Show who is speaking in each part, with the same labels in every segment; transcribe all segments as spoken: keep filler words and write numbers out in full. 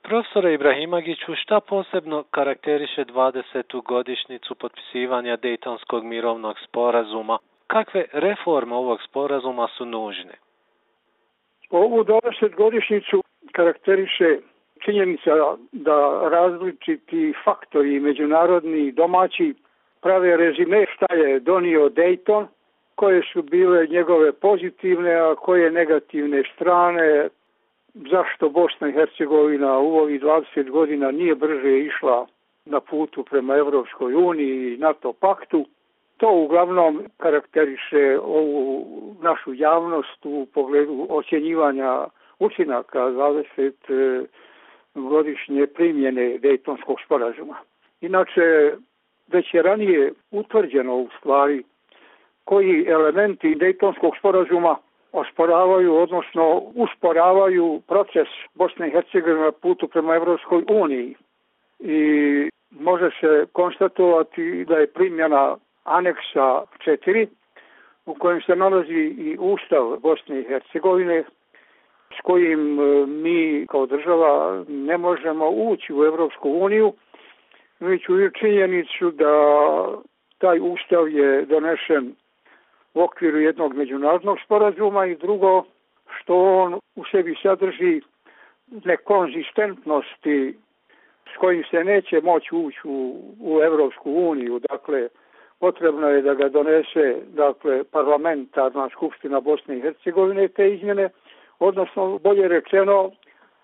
Speaker 1: Profesore Ibrahimagiću, šta posebno karakteriše dvadesetu godišnjicu potpisivanja Dejtonskog mirovnog sporazuma? Kakve reforme ovog sporazuma su nužne?
Speaker 2: Ovu dvadesetogodišnjicu karakteriše činjenica da različiti faktori međunarodni i domaći prave rezime šta je donio Dejton, koje su bile njegove pozitivne, a koje negativne strane, zašto Bosna i Hercegovina u ovih dvadeset godina nije brže išla na putu prema Evropskoj uniji i NATO paktu. To uglavnom karakteriše ovu našu javnost u pogledu ocjenjivanja učinaka dvadesetogodišnje primjene Dejtonskog sporazuma. Inače, već je ranije utvrđeno u stvari koji elementi Dejtonskog sporazuma osporavaju, odnosno usporavaju proces Bosne i Hercegovine na putu prema Evropskoj uniji. I može se konstatovati da je primjena aneksa četiri, u kojem se nalazi i Ustav Bosne i Hercegovine, s kojim mi kao država ne možemo ući u Evropsku uniju, već u činjenicu da taj Ustav je donešen u okviru jednog međunarodnog sporazuma i drugo, što on u sebi sadrži nekonzistentnosti s kojim se neće moći ući u, u Evropsku uniju. Dakle, potrebno je da ga donese dakle, parlamentarna skupština Bosne i Hercegovine te izmjene, odnosno bolje rečeno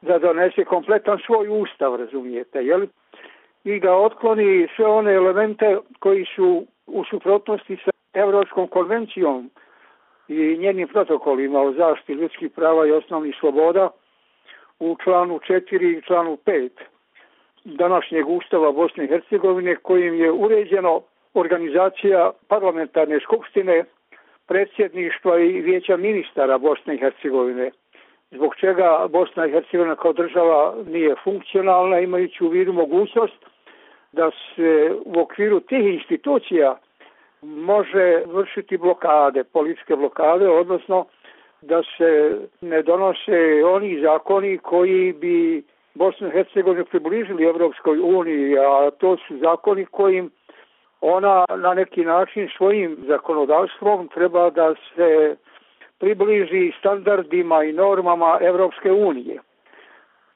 Speaker 2: da donese kompletan svoj ustav, razumijete, jel? I da otkloni sve one elemente koji su u suprotnosti sa Evropskom konvencijom i njenim protokolima o zaštiti ljudskih prava i osnovnih sloboda u članu četiri i članu pet današnjeg Ustava Bosne i Hercegovine, kojim je uređeno organizacija parlamentarne skupštine, predsjedništva i vijeća ministara Bosne i Hercegovine, zbog čega Bosna i Hercegovina kao država nije funkcionalna, imajući u vidu mogućnost da se u okviru tih institucija može vršiti blokade, političke blokade, odnosno da se ne donose oni zakoni koji bi Bosnu i Hercegovinu približili Evropskoj uniji, a to su zakoni kojim ona na neki način svojim zakonodavstvom treba da se približi standardima i normama Evropske unije.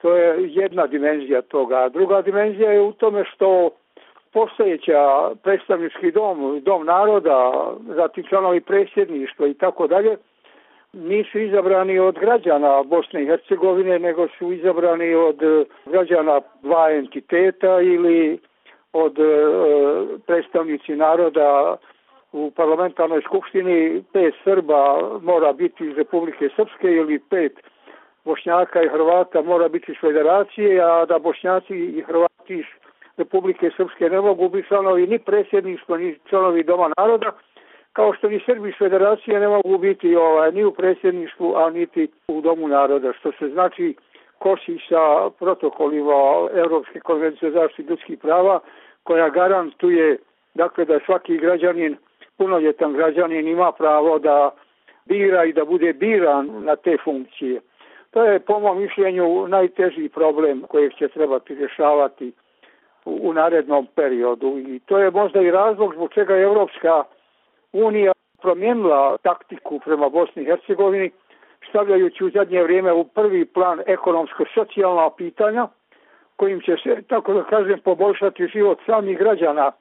Speaker 2: To je jedna dimenzija toga. Druga dimenzija je u tome što postojeća predstavnički dom, dom naroda, zatim članovi predsjedništva i tako dalje, nisu izabrani od građana Bosne i Hercegovine, nego su izabrani od građana dva entiteta ili od e, predstavnici naroda u parlamentarnoj skupštini. Pet Srba mora biti iz Republike Srpske ili pet Bošnjaka i Hrvata mora biti iz Federacije, a da Bošnjaci i Hrvati iz Republike Srpske ne mogu biti članovi ni predsjedništva, ni članovi Doma naroda, kao što ni Srbi iz Federacije ne mogu biti ovaj, ni u predsjedništvu, a niti u Domu naroda, što se znači kosi sa protokolima Evropske konvencije o zaštiti ljudskih prava, koja garantuje dakle, da svaki građanin, punoljetan građanin ima pravo da bira i da bude biran na te funkcije. To je po mom mišljenju najteži problem kojeg će trebati rješavati u, u narednom periodu. I to je možda i razlog zbog čega je Evropska unija promijenila taktiku prema Bosni i Hercegovini, stavljajući u zadnje vrijeme u prvi plan ekonomsko-socijalna pitanja, kojim će se, tako da kažem, poboljšati život samih građana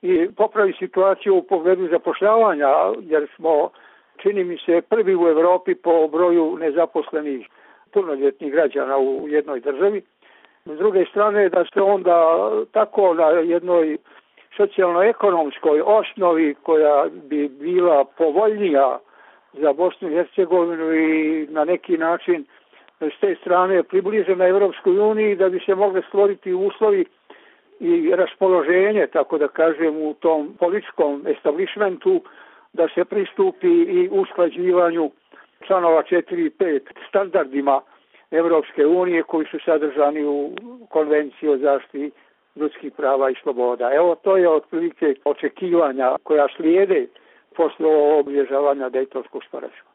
Speaker 2: i popraviti situaciju u pogledu zapošljavanja, jer smo, čini mi se, prvi u Evropi po broju nezaposlenih punoljetnih građana u jednoj državi. S druge strane, da se onda tako na jednoj socijalno-ekonomskoj osnovi koja bi bila povoljnija za Bosnu i Hercegovinu i na neki način s te strane približena Evropskoj uniji, da bi se mogli stvoriti uslovi i raspoloženje, tako da kažem, u tom političkom establishmentu, da se pristupi i usklađivanju članova četiri i pet standardima Evropske unije koji su sadržani u Konvenciji o zaštiti ljudskih prava i sloboda. Evo, to je otprilike očekivanja koja slijede posle obilježavanja Dejtonskog sporazuma.